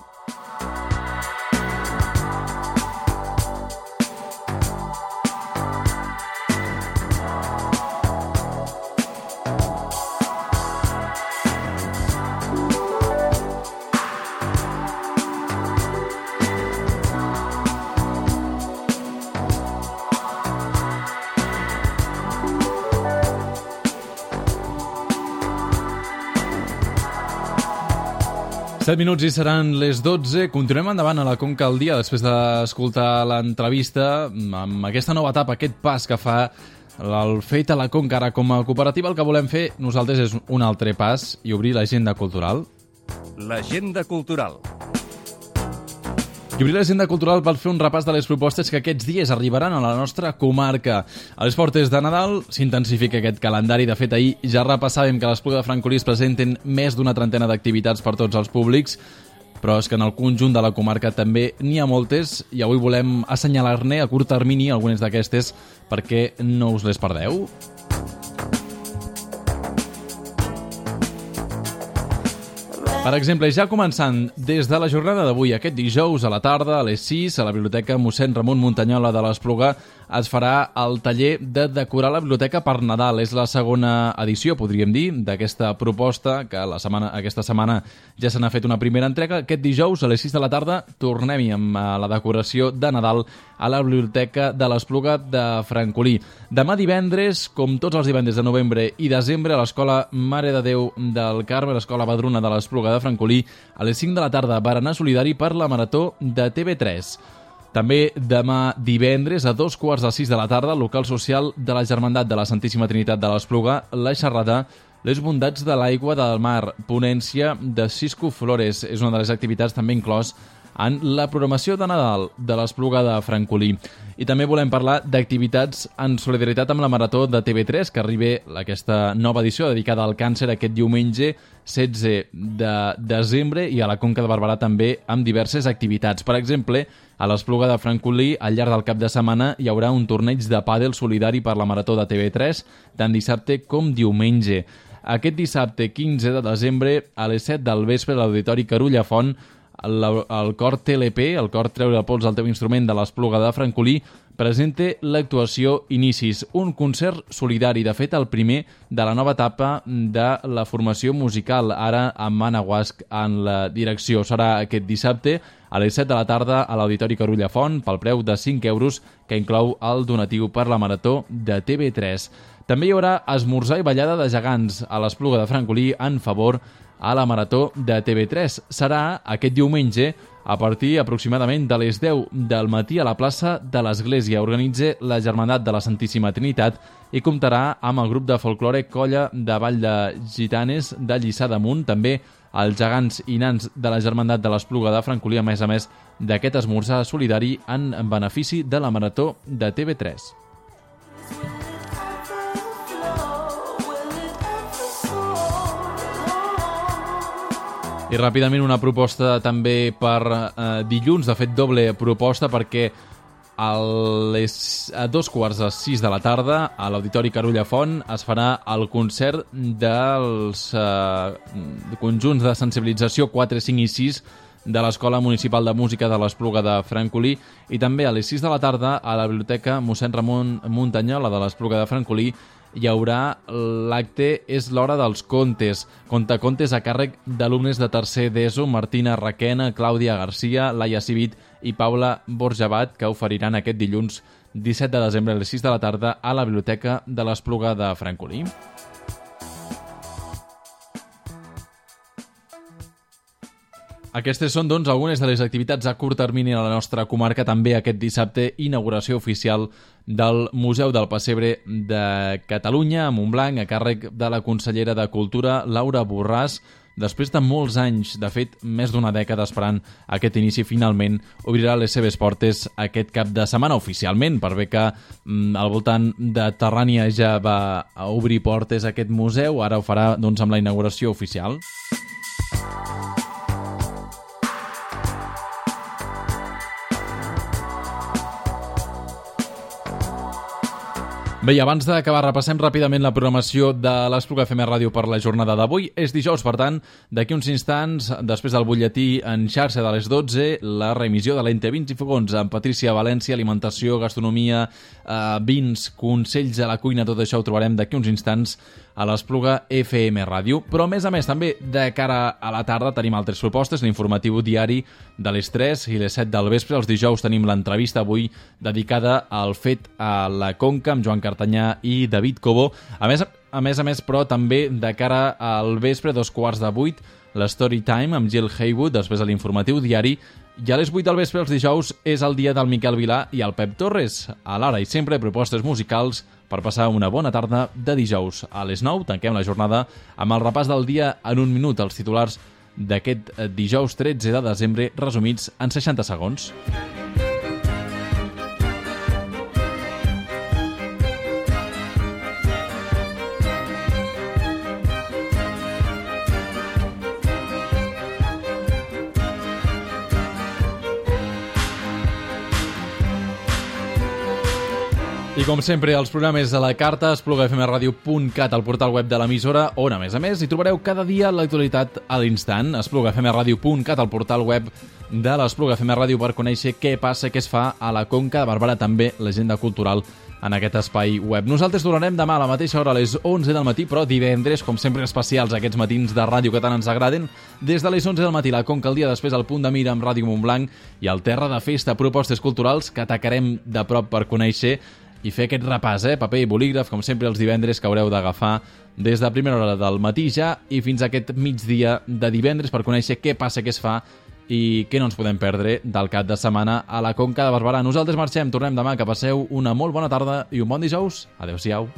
set minuts i seran les dotze. Continuem endavant a la Conca al dia després d'escoltar l'entrevista amb aquesta nova etapa, aquest pas que fa el Fet a la Conca. Ara, com a cooperativa, el que volem fer nosaltres és un altre pas i obrir l'agenda cultural. L'agenda cultural. I obrir l'agenda cultural per fer un repàs de les propostes que aquests dies arribaran a la nostra comarca. A les portes de Nadal s'intensifica aquest calendari. De fet, ahir ja repassàvem que a l'Espluga de Francolí es presenten més d'una trentena d'activitats per tots els públics, però és que en el conjunt de la comarca també n'hi ha moltes i avui volem assenyalar-ne a curt termini algunes d'aquestes perquè no us les perdeu. Per exemple, ja començant des de la jornada d'avui, aquest dijous a la tarda, a les sis, a la Biblioteca mossèn Ramon Muntanyola de l'Espluga, es farà el taller de decorar la biblioteca per Nadal. És la segona edició, podríem dir, d'aquesta proposta, que la setmana, aquesta setmana ja se n'ha fet una primera entrega. Aquest dijous, a les sis de la tarda, tornem-hi amb la decoració de Nadal a la Biblioteca de l'Espluga de Francolí. Demà divendres, com tots els divendres de novembre i desembre, a l'Escola Mare de Déu del Carme, l'Escola Badruna de l'Espluga de Francolí, a les cinc de la tarda, berenar solidari per la Marató de T V tres. També demà divendres a dos quarts de sis de la tarda al local social de la Germandat de la Santíssima Trinitat de l'Espluga, la xerrada Les bondats de l'aigua del mar, ponència de Cisco Flores. És una de les activitats també inclòs en la programació de Nadal de l'Espluga de Francolí. I també volem parlar d'activitats en solidaritat amb la Marató de T V tres, que arriba aquesta nova edició dedicada al càncer aquest diumenge setze de desembre, i a la Conca de Barberà també amb diverses activitats. Per exemple, a l'Espluga de Francolí, al llarg del cap de setmana, hi haurà un torneig de pàdel solidari per la Marató de T V tres, tant dissabte com diumenge. Aquest dissabte quinze de desembre a les set del vespre a l'Auditori Carulla Font, el, el cor T L P, el cor Treure el pols al teu instrument de l'Espluga de Francolí, presenta l'actuació Inicis, un concert solidari, de fet el primer de la nova etapa de la formació musical, ara amb Anna Guasc en la direcció. Serà aquest dissabte a les set de la tarda a l'Auditori Carulla Font pel preu de cinc euros, que inclou el donatiu per la Marató de T V tres. També hi haurà esmorzar i ballada de gegants a l'Espluga de Francolí en favor a la Marató de T V tres. Serà aquest diumenge a partir aproximadament de les deu del matí a la plaça de l'Església. Organitza la Germandat de la Santíssima Trinitat i comptarà amb el grup de folklore Colla de Vall de Gitanes de Lliçà d'Amunt, també els gegants i nans de la Germandat de l'Espluga de Francolí, a més a més d'aquest esmorzar solidari en benefici de la Marató de T V tres. I ràpidament una proposta també per eh, dilluns, de fet doble proposta, perquè a, les, a dos quarts de sis de la tarda a l'Auditori Carulla Font es farà el concert dels eh, conjunts de sensibilització quatre, cinc i sis de l'Escola Municipal de Música de l'Espluga de Francolí, i també a les sis de la tarda a la Biblioteca mossèn Ramon Muntanyola de l'Espluga de Francolí hi haurà l'acte És l'hora dels contes, contacontes a càrrec d'alumnes de tercer d'ESO, Martina Raquena, Clàudia Garcia, Laia Civit i Paula Borjabat, que oferiran aquest dilluns disset de desembre a les sis de la tarda a la Biblioteca de l'Espluga de Francolí. Aquestes són, doncs, algunes de les activitats a curt termini a la nostra comarca. També aquest dissabte, inauguració oficial del Museu del Pessebre de Catalunya a Montblanc, a càrrec de la consellera de Cultura, Laura Borràs. Després de molts anys, de fet, més d'una dècada esperant aquest inici, finalment obrirà les seves portes aquest cap de setmana oficialment, per bé que mm, al voltant de Terrània ja va obrir portes aquest museu, ara ho farà, doncs, amb la inauguració oficial. Bé, i abans d'acabar, repassem ràpidament la programació de l'Espluga F M Ràdio per la jornada d'avui. És dijous, per tant, d'aquí uns instants, després del butlletí en xarxa de les dotze, la reemissió de l'Ente Vins i Fogons amb Patrícia València, alimentació, gastronomia, eh, vins, consells a la cuina, tot això ho trobarem d'aquí uns instants a l'Espluga F M Ràdio. Però, a més a més, també de cara a la tarda tenim altres propostes, l'informatiu diari de les tres i les set del vespre. Els dijous tenim l'entrevista avui dedicada al fet a la Conca amb Joan Cartanyà i David Cobó. A més, a més a més, però, també de cara al vespre, dos quarts de vuit, l'Story Time amb Jill Haywood, després de l'informatiu diari. I a les vuit del vespre, els dijous, és el dia del Miquel Vilà i el Pep Torres. A l'ara i sempre propostes musicals per passar una bona tarda de dijous. A les nou tanquem la jornada amb el repàs del dia en un minut, els titulars d'aquest dijous tretze de desembre, resumits en seixanta segons. I com sempre, els programes de la carta, espluga f m radio punt cat, al portal web de l'emissora, on, a més a més, hi trobareu cada dia l'actualitat a l'instant. espluga f m radio punt cat, al portal web de l'Espluga F M Ràdio, per conèixer què passa, què es fa a la Conca de Barberà, també l'agenda cultural en aquest espai web. Nosaltres tornarem demà a la mateixa hora, a les onze del matí, però divendres, com sempre, especials, aquests matins de ràdio que tant ens agraden. Des de les onze del matí, la Conca, el dia després, el Punt de Mira amb Ràdio Montblanc i el Terra de Festa, propostes culturals que atacarem de prop per conèixer i fer aquest repàs, eh? Paper i bolígraf, com sempre, els divendres, que haureu d'agafar des de primera hora del matí ja i fins a aquest migdia de divendres per conèixer què passa, què es fa i què no ens podem perdre del cap de setmana a la Conca de Barberà. Nosaltres marxem, tornem demà, que passeu una molt bona tarda i un bon dijous. Adéu-siau.